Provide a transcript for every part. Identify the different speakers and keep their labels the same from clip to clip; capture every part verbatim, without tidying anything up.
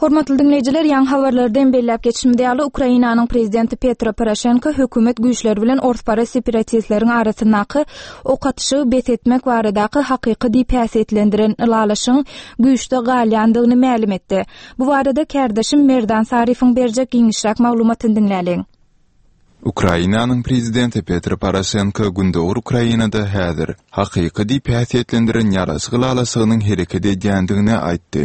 Speaker 1: Hormatly diňleýjiler, ýaňy habarlardan belläp geçişimiz ýaly, Ukrainanyň prezidenti Petro Poroşenko hökümet güýçleri bilen orsparaz separatistleriň arasyndaky ok atyşygy bes etmek baradaky hakyky diýip häsiýetlendiren ylalaşygyň güýçde galýandygyny mälim etdi. Bu barada kärdeşim Merdan Saryýewiň berjek giňişräk maglumatyny diňläliň.
Speaker 2: Ukrainanyň prezidenti Petro Poroşenko Gündogar Ukrainada häzir hakyky diýip häsiýetlendiren ýaraşyk ylalaşygynyň hereket edýändigini aýtdy.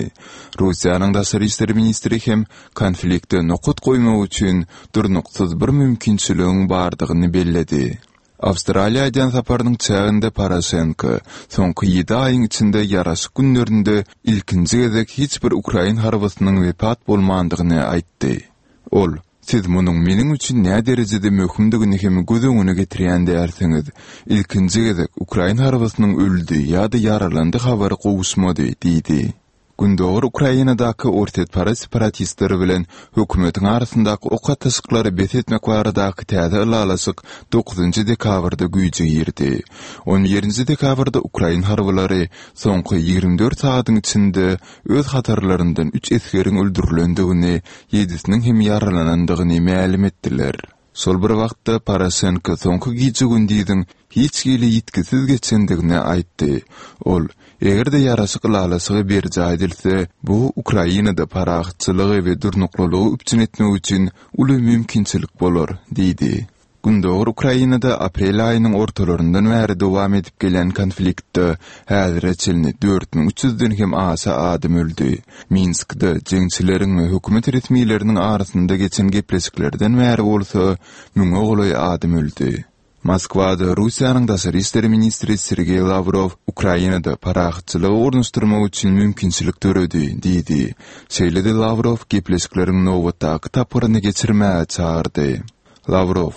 Speaker 2: Russiýanyň daşary işler ministri hem konflikte nokat goýmak üçin durnuksyz bir mümkinçiligiň bardygyny belledi. Awstraliýa edýän saparynyň çäginde Poroşenko soňky ýedi aýyň içinde ýaraşyk günlerinde ilkinji gezek hiç bir ukrain harbysynyň wepat bolmandygyny aýtdy. Ol, Siz munuň meniň üçin nä derejede möhümdigini hem göz öňüne getirýän dälsiňiz. Ilkinji gezek ukrain harbysynyň öldi ýa-da ýaralandy habary gowuşmady diýdi. Gündogar Ukrainadaky orsýetparaz separatistleri bilen hökümetiň arasyndaky ok atyşyklary bes etmek baradaky täze ylalaşyk dokuzynjy dekabrda güýje girdi. On birinji dekabrda ukrain harbylary soňky ýigrimi dört sagatyň içinde öz hatarlaryndan üç esgeriň öldürilendigini, ýedisiniň hem ýaralanandygyny mälim etdiler. Şol bir wagtda Poroşenko soňky gije-gündiziň hiç hili ýitgisiz geçendigini aýtdy. Ol, eger-de ýaraşyk ylalaşygy berjaý edilse, bu Ukrainada parahatçylygy we durnuklylygy üpjün etmek üçin uly mümkinçilik bolar diýdi. Gündogar Ukrainada aprel aýynyň ortalaryndan bäri dowam edip gelýän konfliktde häzire çenli dört müň üç ýüzden hem aşa adam öldi. Minskde jeňçileriň we hökümet resmileriniň arasynda geçen gepleşiklerden bäri bolsa müňe golaý adam öldi. Moskwada Russiýanyň daşary işler ministri Sergeý Lawrow Ukrainada parahatçylygy ornaşdyrmak üçin mümkinçilik döredi diýdi. Şeýle-de Lawrow gepleşikleriň nobatdaky tapgyryny geçirmäge çagyrdy. Lawrow,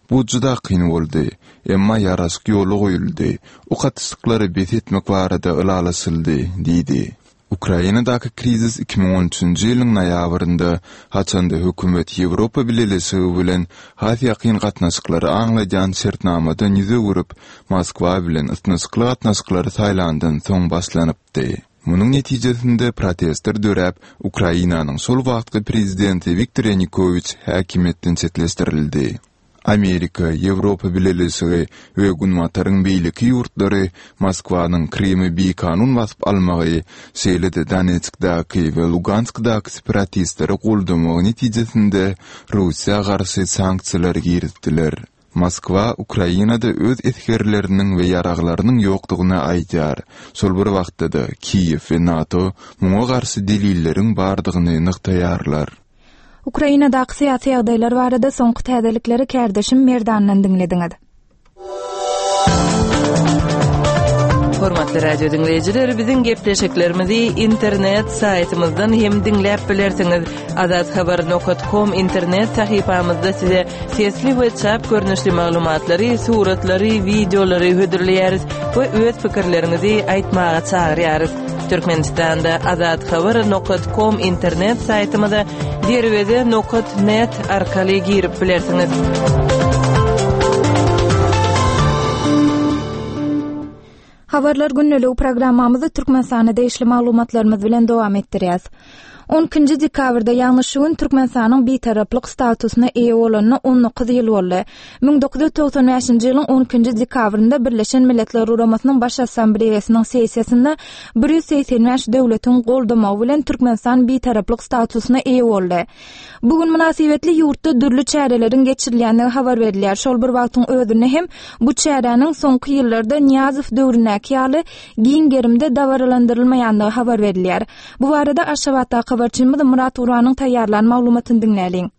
Speaker 2: Bu juda kyn boldy, emma ýaraşyk ýola goýuldy, ok atyşyklary bes etmek barada ylalaşyldy diýdi. Ukrainadaky krizis iki müň on üçünji ýylyň noýabrynda, haçanda hökümet Ýewropa Bileleşigi bilen has ýakyn gatnaşyklary aňladýan şertnamadan ýüz öwürip, Moskwa bilen ysnyşykly gatnaşyklary saýlandan soň başlanypdy. Munuň netijesinde protestler döräp, Ukrainanyň şol wagtky prezidenti Wiktor Ýanukowiç häkimiýetden çetleşdirildi. Amerika, Ýewropa Bileleşigi we Günbataryň beýleki ýurtlary Moskwanyň Krymy bikanun basyp almagy, şeýle-de Donetskdäki we Luganskdaky separatistleri goldamagy netijesinde Russiýa garşy sanksiýalary girizdiler. Moskwa Ukrainada öz esgerleriniň we ýaraglarynyň ýokdugyny aýdýar. Şol bir wagtda-da Kiýew we NATO muňa garşy delilleriň bardygyny nygtaýarlar.
Speaker 1: Ukrainadaky syýasy ýagdaýlar barada soňky täzelikleri kärdeşim Merdandan diňlediňiz.
Speaker 3: Hormatly radio diňleýjiler, biziň gepleşiklerimizi internet saýtymyzdan hem diňläp bilersiňiz. Azathabar nokat com internet sahypamyzda size sesli we çap görnüşli maglumatlary, suratlary, wideolary hödürleýäris we öz pikirleriňizi aýtmaga çagyrýarys. Türkmenistanda Azathabar nokat com internet saýtymyza derweze nokat net arkaly girip bilersiňiz.
Speaker 1: Habarlar günlügi programmamyzy Türkmenistana degişli maglumatlarymyz bilen dowam etdirýäs. On ikinji dekabrda, ýagny şu gün Türkmenistanyň bitaraplyk statusyna eýe bolanyna on dokuz ýyl boldy. Müň dokuz ýüz togsan bäşinji ýylyň on ikinji dekabrynda Birleşen Milletler Guramasynyň Baş Assambleýasynyň sessiýasynda bir ýüz segsen bäş döwletiň goldamagy bilen Türkmenistan bitaraplyk statusyna eýe boldy. Bu gün mynasybetli ýurtda dürli çäreleriň geçirilýändigi habar berilýär. Şol bir wagtyň özünde hem bu çäräniň soňky ýyllarda Nyýazow döwründäki ýaly giň gerimde dabaralandyrylmaýandygy habar berilýär. Bu barada Aşgabatdaky habarçymyz Murat Guranyň taýýarlan maglumatyny diňläliň.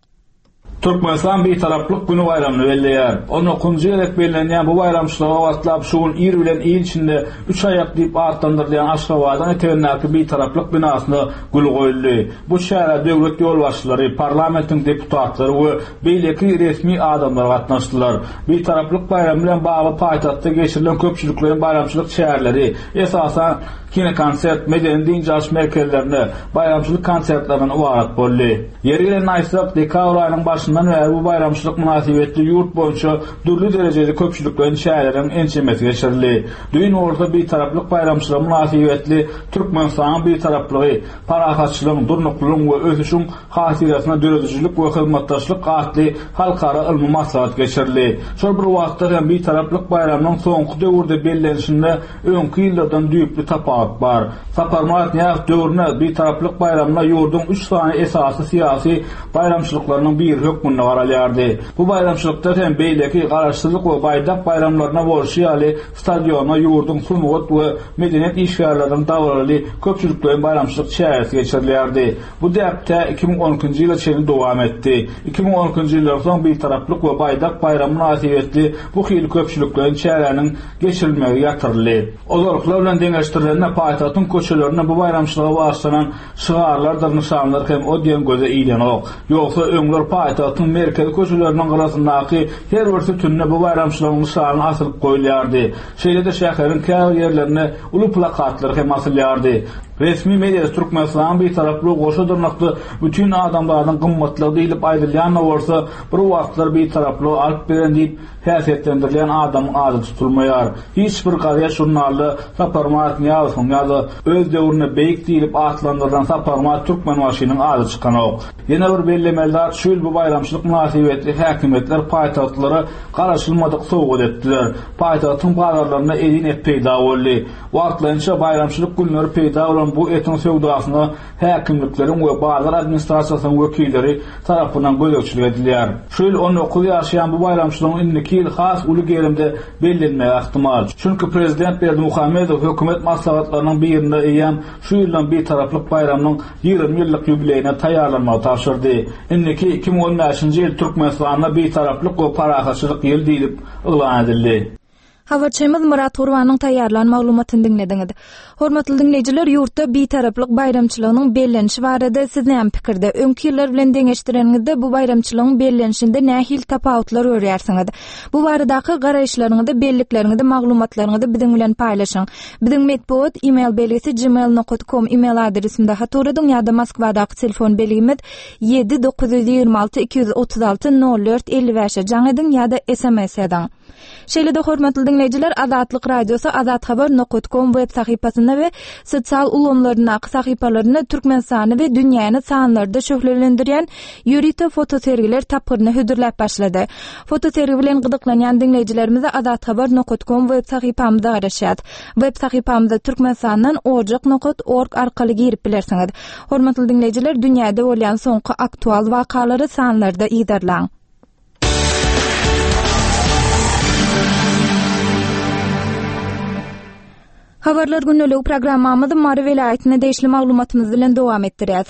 Speaker 4: Türkmenistan bitaraplyk günü baýramyny belleýär. On dokuzunjy gezek bellenýän bu baýramçylyga gabatlap şu gün ir bilen il içinde üç aýak diýip atlandyrylýan Aşgabadyň etegindäki bitaraplyk binasyna gül goýuldy. Bu çärä döwlet ýolbaşçylary, parlamentiň deputatlary we beýleki resmi adamlar gatnaşdylar. Bitaraplyk baýramy bilen bagly paýtagtda geçirilen köpçülikleýin baýramçylyk çäreleri, esasan kinokonsert, medeni dynç alyş merkezlerinde baýramçylyk konsertlerinden ybarat boldy. Ýeri gelende aýtsak, dekabr aýynyň başynda başyndan bäri bu baýramçylyk mynasybetli ýurt boýunça dürli derejeli köpçülikleýin çäreleriň ençemesi geçirildi. Düýn bolsa Bitaraplyk baýramçylygy mynasybetli Türkmenistanyň Bitaraplygy, parahatçylygyň, durnuklylygyň we ösüşiň hatyrasyna döredijilik we hyzmatdaşlyk atly halkara ylmy maslahat geçirildi. Şol bir wagtda hem Bitaraplyk baýramynyň soňky döwürde bellenişinde öňki ýyllardan düýpli tapawut bar. Saparmyrat Nyýazow döwründe Bitaraplyk baýramyna ýurduň üç sany esasy syýasy baýramçylyklarynyň biri hökmünde garalýardy. Bu baýramçylykda hem beýleki Garaşsyzlyk we Baýdak baýramlaryna bolşy ýaly stadionda ýurduň sungat we medeniýet işgärleriniň dabaraly köpçülikleýin baýramçylyk çäresi geçirilýärdi. Bu däp tä iki müň on ikinji ýyla çenli dowam etdi. Iki müň on ikinji ýyldan soň Bitaraplyk we Baýdak baýramy mynasybetli bu hili köpçülikleýin çäräniň geçirilmegi ýatyryldy. Ozalkylar bilen deňeşdirilende paýtagtyň köçelerinde bu baýramçylyga bagyşlanan şygarlardyr nyşanlar hem o diýen göze ilenok. Ýogsa öňler paýtagtyň merkezi köçeleriniň gyrasyndaky her bir sütünde bu baýramçylygyň nyşany asylyp goýulýardy. Şeýle-de şäheriň käbir ýerlerinde uly plakatlar hem asylýardy. Resmi media Türkmenistanyň Bitaraplygy goşa dyrnakly bütün adamzadyň gymmatlygy diýlip aýdylýan bolsa, bir wagtlar Bitaraplygy alyp beren diýip häsiýetlendirilýän adamyň ady tutulmaýar. Hiç bir gazet žurnalda Saparmyrat Nyýazowyň ýa-da öz döwründe beýik diýlip atlandyrylan Saparmyrat Türkmenbaşynyň ady çykanok. Ýene bir bellemeli zat şu ýyl bu baýramçylyk mynasybetli häkimiýetler paýtagtlara garaşylmadyk sowgat etdiler. Paýtagtyň bazarlarynda elin et peýda boldy. Wagtlaýynça baýramçylyk günleri peýda bolan bu etiň söwdasyna häkimlikleriň we bazar administrasiýasynyň wekilleri tarapyndan gözegçilik edilýär. Şu ýyl on dokuz ýaşaýan bu baýramçylygyň indiki ýyl has uly gerimde bellenmegi ähtimal. Çünki prezident Berdimuhamedow hökümet maslahatlarynyň birinde eýýäm şu ýyldan Bitaraplyk baýramynyň ýigrimi ýyllyk ýubileýine taýýarlanmagy tabşyrdy. Indiki iki müň on bäşinji ýyl Türkmenistanda Bitaraplyk we parahatçylyk ýyly diýlip yglan edildi.
Speaker 1: Habarçymyz Murat Gurbanyň taýýarlan maglumatyny diňlediňiz. Hormatly diňleýjiler, ýurtda Bitaraplyk baýramçylygynyň bellenişi barada siz näme pikirde? Öňki ýyllar bilen deňeşdireniňizde bu baýramçylygyň bellenişinde nähili tapawutlar görýärsiňiz? Bu baradaky garaýyşlaryňyzy, bellikleriňizi, maglumatlaryňyzy biziň bilen paýlaşyň. Biziň metbugat e-mail belgisi gmail nokta com e-mail adresimde hat ugradyň ýa-da Moskwadaky telefon belgimiz ýedi dokuz ýüz ýigrimi alty iki ýüz otuz alty nol dört elli bäşe jaň ediň ýa-da S M S ediň. Şeýle-de hormatly diňleýjiler, Azatlyk Radiosy azathabar nokta com web sahypasynda we sosial ulgamlaryndaky sahypalarynda Türkmenistany we dünýäni sanlarda şöhlelendirýän ýörite fotosergiler tapgyryny hödürläp başlady. Fotosergi bilen gyzyklanýan diňleýjilerimize azathabar nokta com web sahypamyzda garaşýar. Web sahypamyzda Türkmenistandan ojak nokta org arkaly girip bilersiňiz. Hormatly diňleýjiler, dünýäde bolýan soňky aktual wakalary sanlarda yzarlaň. Habarlar günlüğü programmamyzy Mary welaýatyna degişli maglumatymyz bilen dowam etdirýär.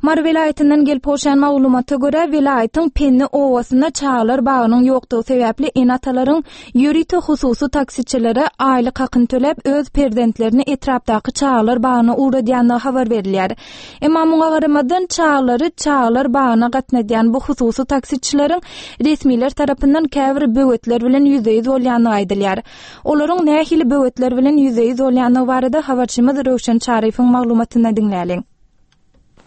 Speaker 1: Mary welaýatyndan gelip gowşan maglumata görä, welaýatyň Penni owasynda çagalar bagynyň ýokdugy sebäpli ene-atalaryň ýörite hususy taksiçilere aýlyk hakyny töläp öz perzentlerini etrapdaky çagalar bagyna ugradýandygy habar berilýär. Emma muňa garamazdan çagalary çagalar bagyna gatnadýan bu hususy taksiçileriň resmiler tarapyndan käbir böwetler bilen ýüzbe-ýüz bolýandygy aýdylýar. Olaryň nähili böwetler bilen ýüzbe-ýüz bolýandygy barada habarçymyz Röwşen Çaryýewiň maglumatyny diňläliň.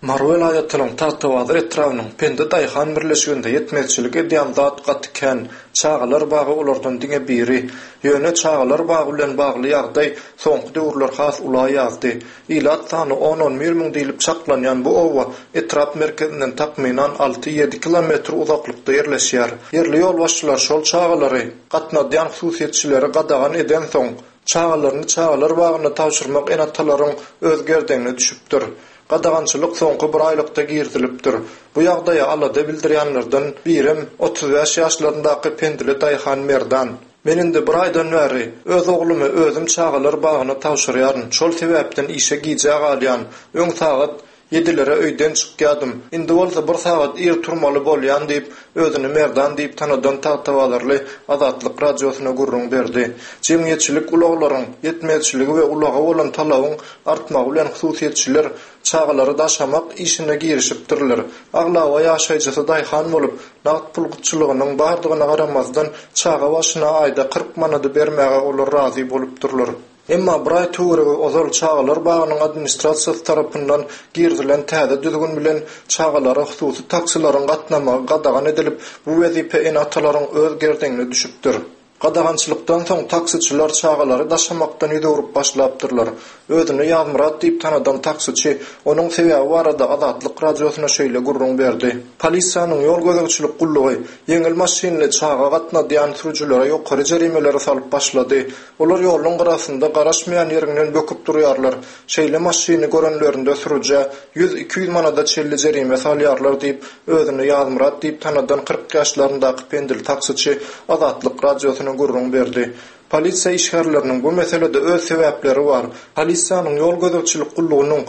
Speaker 5: Mary welaýatynyň Tagtabazar etrabynyň Pendi Daýhan birleşiginde ýetmezçilik edýän zat gaty kän. Çagalar bagy olardan diňe biri. Ýöne çagalar bagy bilen bagly ýagdaý soňky döwürler has ula ýazdy. Ilat sany on-on bir müň diýlip çaklanýan bu oba etrap merkezinden takmynan alty-ýedi kilometr uzaklykda ýerleşýär. Ýerli ýolbaşçylar şol çagalary gatnadýan hususyýetçileri gadagan edensoň, çagalaryny çagalar bagyna tabşyrmak ene-atalaryň öz gerdenine düşüpdir. Gadagançylyk soňky bir aýlykda girizilipdir. Bu ýagdaýa alada bildirýänlerden birem otuz bäş ýaşlaryndaky Pendili Daýhan Merdan. Men indi bir aýdan bäri öz oglumy özüm çagalar bagyna tabşyrýaryn. Şol sebäpden işe gijä galýan. Öň sagat ýedilere öýden çykýadym. Indi bolsa bir sagat ir turmaly bolýan diýip, özüni Merdan diýip tanadan Tagtabazarly Azatlyk radiosyna gürrüň berdi. Jemgyýetçilik ulaglaryň ýetmezçiligi we ulaga bolan talabyň artmagy bilen hususyýetçiler çagalary daşamak işine girişipdirler. Aglaba ýaşaýjysy daýhan bolup, nagt pul gytçylygynyň bardygyna garamazdan çaga başyna aýda kyrk manady bermäge olar razy bolupdyrlar. Emma bir aý töweregi ozal çagalar bagynyň administrasiýasy tarapyndan girizilen täze düzgün bilen çagalara hususy taksileriň gatnamagy gadagan edilip, bu wezipe ene-atalaryň öz gerdenine düşüpdir. Gadagançylykdan soň taksiçiler çagalary daşamakdan ýüz öwrüp başlapdyrlar. Özüni Ýazmyrat diýip tanadan taksiçi onuň sebäbi barada Azatlyk Radiosyna şeýle gürrüň berdi. Polisiýanyň ýol gözegçilik gullugy ýeňil maşynly çaga gatnadýan sürüjilere ýokary jerimeleri salyp başlady. Olar ýoluň gyrasynda garaşmaýan ýeriňden böküp durýarlar. Şeýle maşyny görenlerinde sürüjä ýüz-iki ýüz manada çenli jerime salýarlar diýip, özüni Ýazmyrat diýip tanadan kyrk ýaşlaryndaky pendil taksiçi Azatlyk Radiosyna gürrüň berdi. Polisiýa işgärleriniň bu meselede öz sebäpleri bar. Polisiýanyň ýol gözegçilik gullugynyň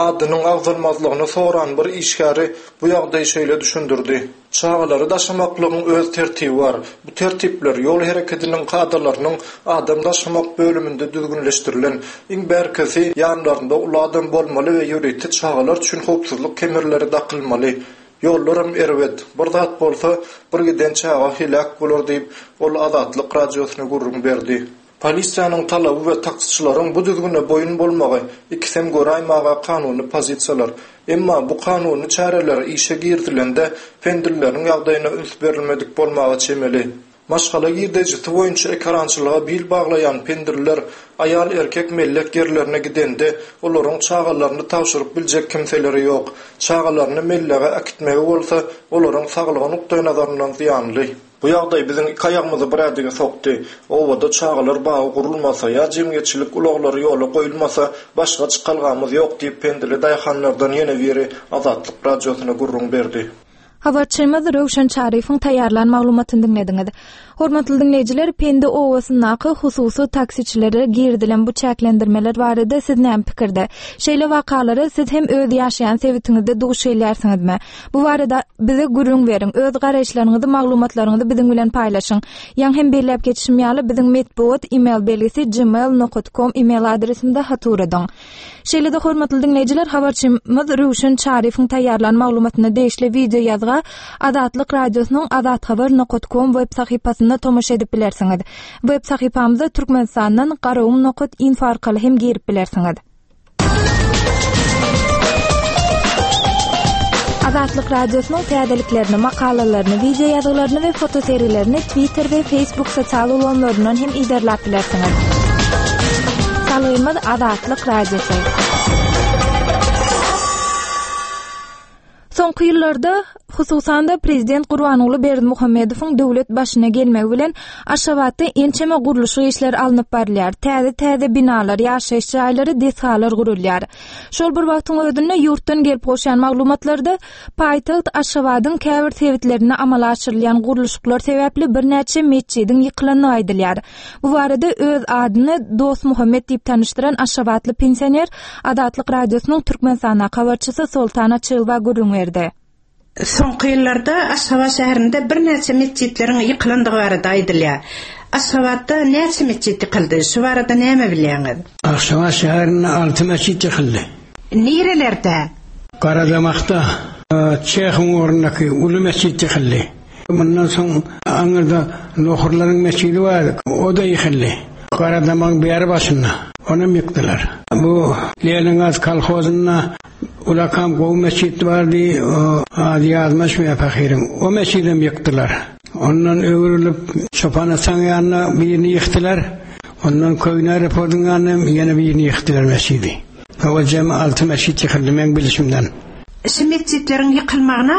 Speaker 5: adynyň agzalmazlygyny soran bir işgäri bu ýagdaýy şeýle düşündirdi. Çagalary daşamaklygyň öz tertibi bar. Bu tertipler ýol hereketiniň kadalarynyň adam daşamak bölüminde düzgünleşdirilen. Iň bärkisi ýanlarynda uly adam bolmaly we ýörite çagalar üçin howpsuzlyk kemerleri dakylmaly. Ýollaram erbet. Bir zat bolsa, bir giden çaga heläk bolar diýip, ol Azatlyk Radiosyna gürrüň berdi. Polisiýanyň talaby we taksiçileriň bu düzgüne boýun bolmagy ikisem göräýmäge kanuny pozisiýalar. Emma bu kanuny çäreler işe girizilende pendilleriň ýagdaýyna üns berilmedik bolmaga çemeli. Maşgala girdejisi boýunça ekerançylyga bil baglaýan pendiller aýal-erkek mellek ýerlerine gidende olaryň çagalaryny tabşyryp biljek kimseleri ýok. Çagalaryny mellege äkitmegi bolsa olaryň saglygy nukdaýnazaryndan zyýanly. Bu ýagdaý biziň iki aýagymyzy bir ädige sokdy. Obada çagalar bagy gurulmasa ýa jemgyýetçilik ulaglary ýola goýulmasa başga çykalgamyz ýok diýip pendili daýhanlardan ýene biri Azatlyk Radiosyna gürrüň berdi.
Speaker 1: Habarçymyz Röwşen Çaryýewiň taýýarlan maglumatyny diňlediňiz. Hormatly diňleýjiler, Pendi obasyndaky hususy taksiçilere girizilen bu çäklendirmeler barada siz näme pikirde? Şeýle wakalara siz hem öz ýaşaýan sebitiňizde duş gelýärsiňizmi? Bu barada bize gürrüň beriň. Öz garaýyşlaryňyzy, maglumatlaryňyzy biziň bilen paýlaşyň. Ýaň hem belläp geçişim ýaly biziň metbugat e-mail belgisi gmail nokta com e-mail adresinde hat ugradyň. Şeýle-de hormatly diňleýjiler, habarçymyz Röwşen Çaryýewiň taýýarlan maglumatyna degişli wideo ýazga Azatlyk Radiosynyň azathabar nokta com web sahypasynda tomaşa edip bilersiňiz. Web sahypamyza Türkmenistandan garagum nokta info arkaly hem girip bilersiňiz. Azatlyk Radiosynyň täzeliklerini, makalalaryny, wideo ýazgylaryny we fotoserilerini Twitter we Facebook sosial ulgamlaryndan hem iderläp bilersiňiz. Salgymyz Azatlyk Radiosy. Soňky ýyllarda hususan-da Prezident Gurbanguly Berdimuhamedowyň döwlet başyna gelmegi bilen Aşgabatda ençeme gurluşyk işleri alnyp barylýar. Täze-täze binalar, ýaşaýyş jaýlary, desgalar gurulýar. Şol bir wagtyň özünde ýurtdan gelip gowşan maglumatlarda paýtagt Aşgabadyň käbir sebitlerinde amala aşyrylýan gurluşyklar sebäpli birnäçe metjidiň ýykylandygy aýdylýar. Bu barada öz adyny Dost Muhammed diýip tanyşdyran Aşgabatly pensioner Azatlyk Radiosynyň Türkmenistanda habarçysy Soltan Açylowa gürrüň berdi.
Speaker 6: Soňky ýyllarda Aşgabat şäherinde birnäçe metjitleriň ýykylandygy barada aýdylýar. Aşgabatda näçe metjit ýykyldy? Şu barada näme bilýäňiz?
Speaker 7: Aşgabat şäherinde alty metjit ýykyldy.
Speaker 6: Nerelerde?
Speaker 7: Garadamakda, Çehiň ornundaki uly metjit ýykyldy. Mundan soň aňyrda Nohurlaryň metjidi bar, o da ýykyldy. Garadamagyň bäri başynda onam ýykdylar. Bu Leningaz kolhozynda ulakam gowy metjit bardy, o ady ýazmaş we fahyryň. O metjidem ýykdylar. Ondan öwrülip Çopan Hasan ýanyna birini ýykdylar. Ondan Köýne aeroportyň ýanyna ýene birini ýykdylar metjidi. O jem alty metjit ýykyldy men bilişimden.
Speaker 6: Şu metjitleriň ýykylmagyna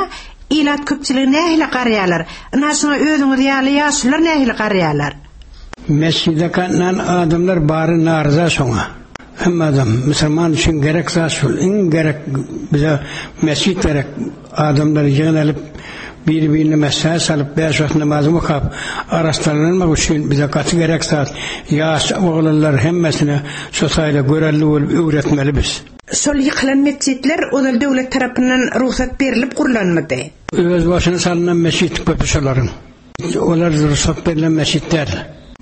Speaker 6: ilat köpçüligi nähili garýarlar? Ina şuňa özüňiz ýaly ýaşulular nähili garýarlar?
Speaker 7: Mesjide gatnan adamlar bary narza şoňa. Hem adam musulman üçin gerek zat şul. Iň gerek bize mesjit gerek. Adamlar ýygnalyp bir-birine mesaj salyp beş wagt namaz okap araşdyranmak üçin bize gaty gerek zat. Ýaş oglanlar hemmesine şu taýda görelli bolup öwretmeli biz.
Speaker 6: Şol ýykylan metjitler ozal döwlet tarapyndan rugsat berilip gurlanmady.
Speaker 7: Öz başyna salynan mesjit köpü şolaryň. Olar rugsat berilen mesjit däl.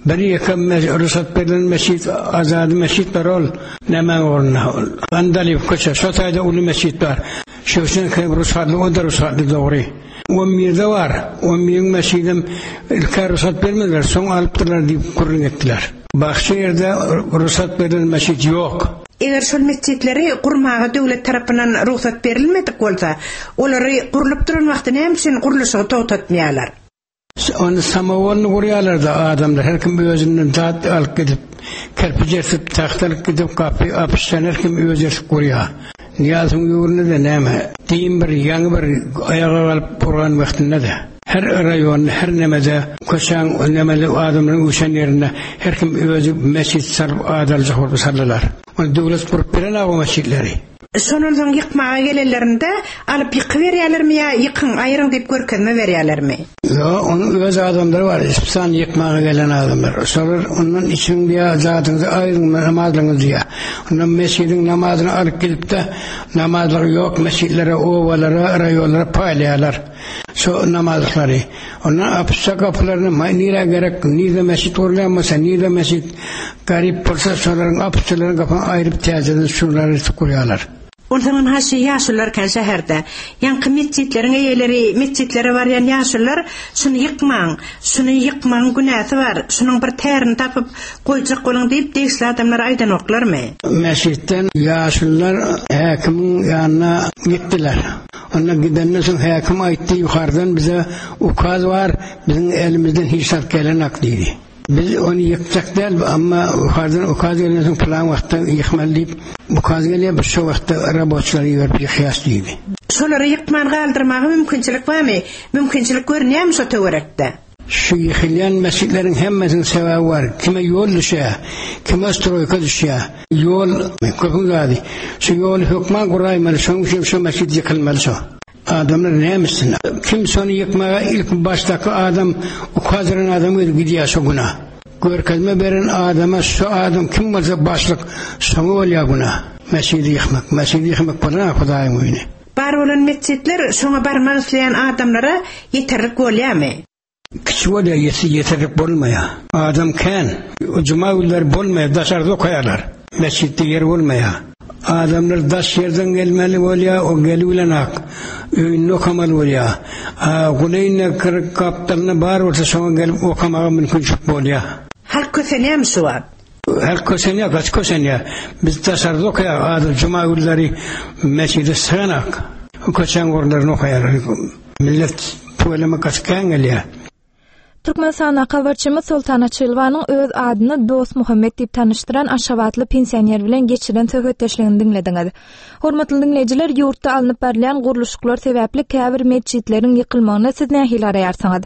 Speaker 7: Bir ýeke rugsat berilen mesjit, azady mesjit bar ol. Näme ornuna ol? Andaliw köçe, şo taýda uly mesjit bar. Şöwşen hem rugsatly, o da rugsatly dogry. On birde bar. On biriň mesjidem ilk-ä rugsat bermediler, soň alypdyrlar diýip gürrüň etdiler. Başga ýerde rugsat berlen mesjit ýok.
Speaker 6: Eger şol metjitleri gurmaga döwlet tarapyndan rugsat berilmedik bolsa, olary gurlup duran wagty näme üçin gurluşygy togtatmaýarlar?
Speaker 7: Ony samowolny gurýarlar-da adamlar, her kim özünden zat alyp gidip, kerpiç ersip, tagta alyp gidip, gapy apyşdan her kim özi ersip gurýar. Nyýazowyň döwründe-de näme, din bir, ýaňy bir aýaga galyp gurlan wagtynda-da, her raýonda, her nemede, köçäň nemeli adamlaryň üýşen ýerinde her kim özi mesjit salyp ad aljak bolup saldylar. Ony döwlet gurup berenok o mesjitleri.
Speaker 6: Şondan soň ýykmaga gelenlerinde alyp ýykyberýärlermi ýa ýykyň, aýryň diýip görkezme berýärlermi?
Speaker 7: Ýok, onuň öz adamlary bar, ispan ýykmaga gelen adamlar. Şolar ondan içiň diýýär, zadyňyzy aýryň, namazlygyňyzy diýýär. Ondan mesjidiň namazyny alyp gidip-de, namazlygy ýok mesjitlere, obalara, raýonlara paýlaýarlar. Şo namazlyklary. Ondan apyşça gapylaryny nirä gerek, nirde mesjit gurulýan bolsa, nirde mesjit garyp bolsa, şolaryň apyşçalaryň gapyny aýryp täzeden şulary gurýarlar.
Speaker 6: Onsoňam haşy ýaşulylar kän şäherde. Ýaňky metjitleriň eýeleri, metjitlere barýan ýaşulylar şuny ýykmaň, şuny ýykmagyň günäsi bar, şunuň bir tärini tapyp goýjak boluň diýip degişli adamlar aýdanoklarmy?
Speaker 7: Mesjitden ýaşulylar häkimiň ýanyna gitdiler. Onda gidenden soň häkim aýtdy, ýukardan bize ukaz bar, biziň elimizden hiç zat gelenak diýdi. Biz ony ýykjak däl, amma yukardan ukaz gelenden soň plan wagtda ýykmaly diýip, ukaz gelýär, biz şo wagtda raboçylary iberip ýykýas diýdi.
Speaker 6: Şolary ýykman galdyrmaga mümkinçilik barmy? Mümkinçilik görünýärmi şo töwerekde?
Speaker 7: Şu ýykylýan mesjitleriň hemmesiniň sebäbi bar. Kime ýol düşýär, kime stroýka düşýär. Ýol köpüň zady. Şu ýoly hökman guraýmaly, şonuň üçin şu mesjit ýykylmaly şo. Adamlar näme etsin? Kim şony ýykmaga ilk başdaky adam, ukaz beren adam özi gidýär şo güna. Görkezme beren adama şu adam kim bolsa başlyk, şoňa bolýar güna. Mesjidi ýykmak, mesjidi ýykmak bolan Hudaýyň öýüni.
Speaker 6: Bar bolan mesjitler şoňa barmak isleýän adamlara ýeterlik bolýarmy?
Speaker 7: Kiçi bolýar, ýeterlik bolmaýar. Adam kän, juma günleri bolmaýar, daşarda okaýarlar. Mesjitde ýer bolmaýar. Adamlar daş ýerden gelmeli bolýar, o geli bilen ak. Öýünde okamaly bolýar. A guleýinde kyrk gapdalyna bar bolsa şoňa gelip okamaga mümkinçilik bolýar.
Speaker 6: Halk kösenýärmi şu wagt?
Speaker 7: Halk kösenýär, gaç kösenýär. Biz daşarda okaýar, adam juma günleri mesjide syganak. Köçäň orunlaryny okaýar. Millet tüweleme gaç kän gelýär.
Speaker 1: Türkmenistanda habarçymyz Soltan Açylwanyň öz adyny Dost Muhammet diýip tanyşdyran Aşgabatly pensioner bilen geçiren söhbetdeşligini diňlediňiz. Hormatly diňleýjiler, ýurtda alnyp barylýan gurluşyklar sebäpli käbir metjitleriň ýykylmagyna siz nähili garaýarsyňyz?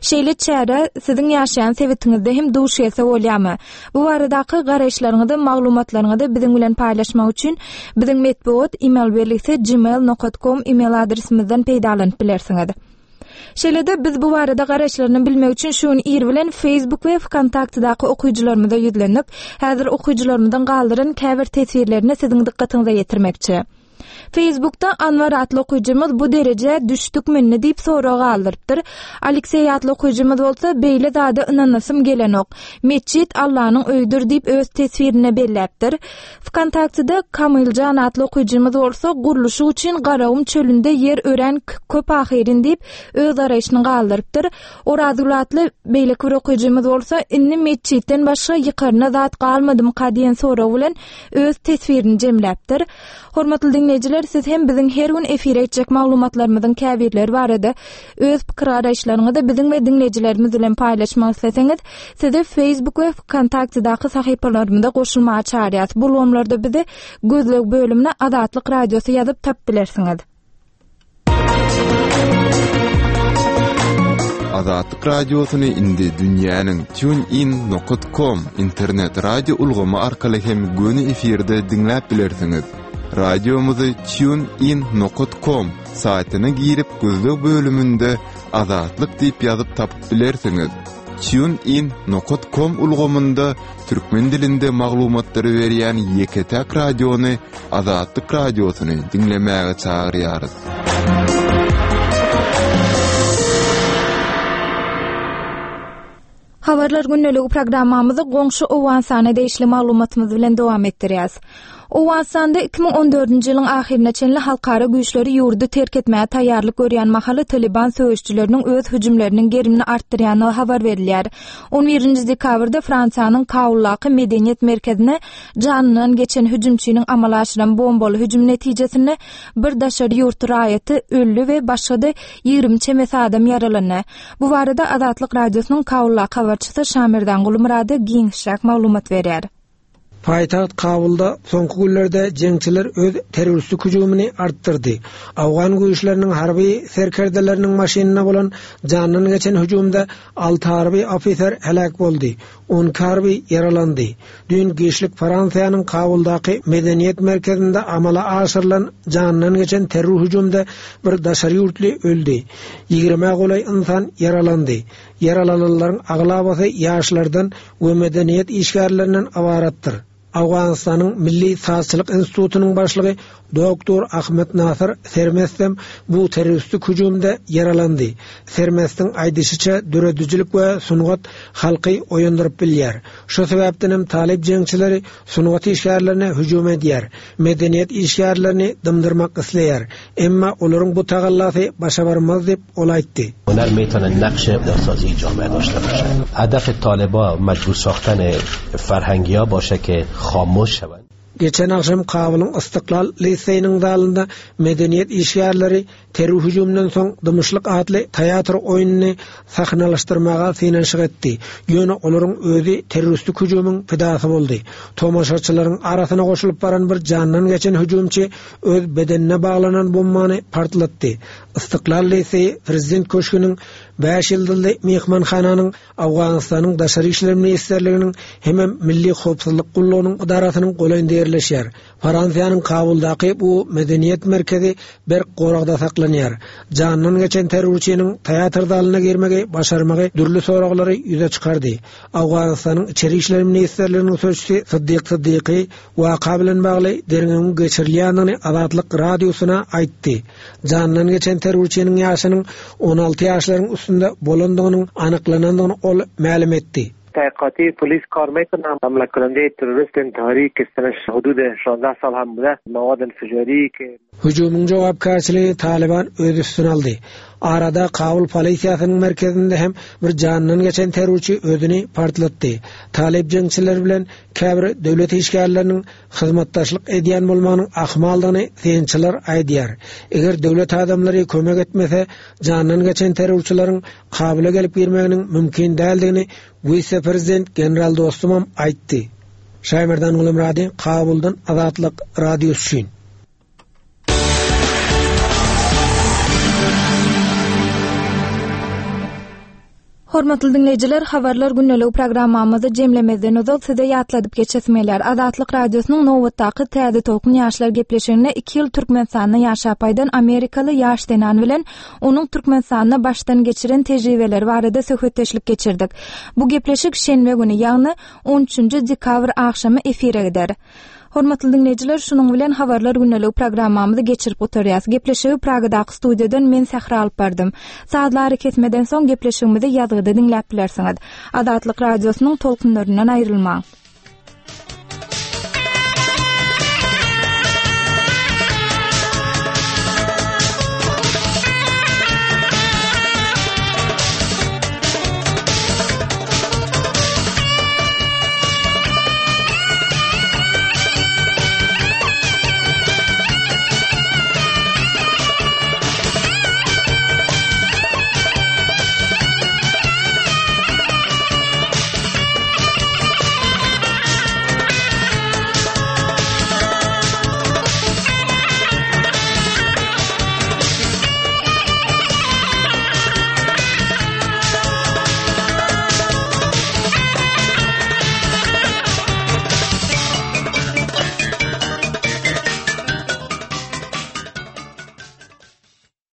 Speaker 1: Şeýle çäre siziň ýaşaýan sebitiňizde hem duş gelse bolýarmy? Bu baradaky garaýyşlaryňyzy, maglumatlaryňyzy biziň bilen paýlaşmak üçin biziň metbugat e-mail belgisi gmail nokta com e-mail adresimizden peýdalanyp bilersiňiz. Şeýle-de biz bu barada garaýyşlaryny bilmek üçin şu gün ir bilen Facebook we VKontakte'daky okyjylarymyza ýüzlendik. Häzir okyjylarymyzdan galdyran käbir teswirlerini siziň dykgatyňyza ýetirmekçi. Facebook'da Anwar atly okyjymyz bu dereje düşdük minni diýip sorag galdyrypdyr. Aleksey atly okyjymyz bolsa beýle zada ynanasym gelenok. Metjit Allanyň öýüdir diýip öz teswirine belläpdir. VKontakte'da Kamiljan atly okyjymyz bolsa gurluşyk üçin Garagum çölünde ýer ören köp ahyrin diýip öz garaýşyny galdyrypdyr. Orazgül atly beýleki bir okyjymyz bolsa indi metjitden başga ýykaryna zat galmadymyka diýen sorag bilen öz teswirini jemläpdir. Hormatly diňleýjiler, siz hem biziň her gün efire etjek maglumatlarymyzyň käbirleri barada öz pikir garaýyşlaryňyzy biziň we diňleýjilerimiz bilen paýlaşmak isleseňiz, sizi Facebook we VKontakte'daky sahypalarymyza goşulmaga çagyrýarys. Bu ulgamlarda bizi gözleg bölümine Azatlyk Radiosy ýazyp tapyp bilersiňiz.
Speaker 2: Azatlyk Radiosyny indi dünýäniň tunein nokta com internet radio ulgamy arkaly hem göni efirde diňläp bilersiňiz. Radiomyzy tunein nokta com saýtyna girip gözleg bölüminde Azatlyk diýip ýazyp tapyp bilersiňiz. Tunein nokta com ulgamynda türkmen dilinde maglumatlary berýän ýeke-täk radiony Azatlyk Radiosyny diňlemäge çagyrýarys.
Speaker 1: Habarlar gündeligi programmamyzy goňşy Owganystana degişli maglumatymyz bilen dowam etdirýäs. Owganystanda iki müň on dördünji ýylyň ahyryna çenli halkara güýçleri ýurdy terk etmäge taýýarlyk görýän mahaly Taliban söweşçileriniň öz hüjümleriniň gerimini artdyrýandygy habar berilýär. On birinji dekabrda Fransiýanyň Kabuldaky medeniýet merkezine janyndan geçen hüjümçiniň amala aşyran bombaly hüjüm netijesinde bir daşary ýurt raýaty öldi we başga-da ýigrimi çemesi adam ýaralandy. Bu barada Azatlyk Radiosynyň Kabuldaky habarçysy Şamirdan Gulmurady giňişräk maglumat berýär.
Speaker 8: Paýtagt Kabulda soňky günlerde jeňçiler öz terroristik hüjümini artdyrdy. Awgan güýçleriniň harby serkerdeleriniň maşynyna bolan jandan geçen hüjümde alty harby ofiser helak boldy, on iki harby ýaralandy. Düýn giçlik Fransiýanyň Kabuldaky medeniýet merkezinde amala aşyrylan jandan geçen terror hüjümde bir daşary ýurtly öldi. Ýigrime golaý insan ýaralandy. Ýaralananlaryň aglabasy ýaşlardan we medeniýet işgärlerinden ybaratdyr. Awganystanyň Milli Sazçylyk Institutynyň başlygy Doktor Ahmet Nasır Sermestem bu terroristik hüjümde ýaralandy. Sermestiň aýdyşyça döredijilik we sungat halky oýandyryp bilýär. Şu sebäpden hem talyp jeňçileri sungat işgärlerine hüjüm edýär. Medeniýet işgärlerini dymdyrmak isleýär. Emma olaryň bu tagallasy başa barmaz diýip ol aýtdy.
Speaker 9: Hüner meýtana naqş sazî جامعه داشته باشه. هدف طالبا مجبور ساختن فرهنگیا باشه که خاموش شوند.
Speaker 8: Geçen akşam Kabulyň Istiklal liseýiniň zalynda medeniýet işgärleri terror hüjüminden soň dymyşlyk atly teatr oýnuny sahnalaşdyrmaga synanyşyk etdi. Ýöne olaryň özi terroristik hüjümiň pidasy boldy. Tomaşaçylaryň arasyna goşulyp baran bir jandan geçen hüjümçi öz bedenine baglanan bombany partlatdy. Istiklal liseýi prezident köşgüniň bäş ýyldyzly mehmanhananyň Awganystanyň Daşary işler ministrliginiň hem Milli Howpsuzlyk gullugynyň idarasynyň golaýynda ýerleşýär. Fransiýanyň Kabuldaky bu medeniýet merkezi berk goragda saklanýar. Jandan geçen terrorçynyň teatr zalyna girmegi başarmagy dürli soraglary ýüze çykardy. Awganystanyň Içeri işler ministrliginiň sözçüsi Siddiq Siddiqi waka bilen bagly derňewiň geçirilýändigini Azatlyk radiosyna aýtdy. Jandan geçen terrorçynyň ýaşynyň on alty ýaşlaryň üstünde bolandygynyň anyklanandygyny ol mälim etdi.
Speaker 10: تحقیقاتی پلیس کار میکنه. حمله کننده تروریست انتحاری که سنش حدود شانزده سال هم بوده مواد انفجاری که
Speaker 8: Hüjümyň jogapkärçiligi Taliban öz üstüne aldy. Arada Kabul polisiýasynyň merkezinde hem bir jandan geçen terrorçy özüni partlatdy. Talip jeňçiler bilen käbir döwlet işgärleriniň hyzmatdaşlyk edýän bolmagynyň ahmaldygyny synçylar aýdýar. Eger döwlet adamlary kömek etmese, jandan geçen terrorçylaryň Kabula gelip girmeginiň mümkin däldigini wise-prezident General Dostumam aýtdy. Şaýmerdan Gulmurady, Kabuldan Azatlyk radiosy üçin.
Speaker 1: Hormatly dinleýjiler, habarlar gündelik programmamyzy jemlemezden ozal size ýatladyp geçesmeler. Azatlyk radiosynyň nobatdaky Täze Tolkun ýaşlar gepleşiginde iki ýyl Türkmenistanda ýaşap aýdan Amerikaly ýaş zenan bilen onuň Türkmenistanda başdan geçiren tejribeleri barada söhbetdeşlik geçirdik. Bu gepleşik şenbe güni, ýagny on üçünji dekabr agşamy efire gider. Hormatly dinleýjiler, şunuň bilen habarlar gündelik programmamyzy geçirip oturýas. Gepleşigi Pragadaky studiýadan men Sähra alyp bardym. Sazlary kesmeden soň gepleşigimizi ýazgyda diňläp bilersiňiz. Azatlyk radiosynyň tolkunlaryndan aýrylmaň.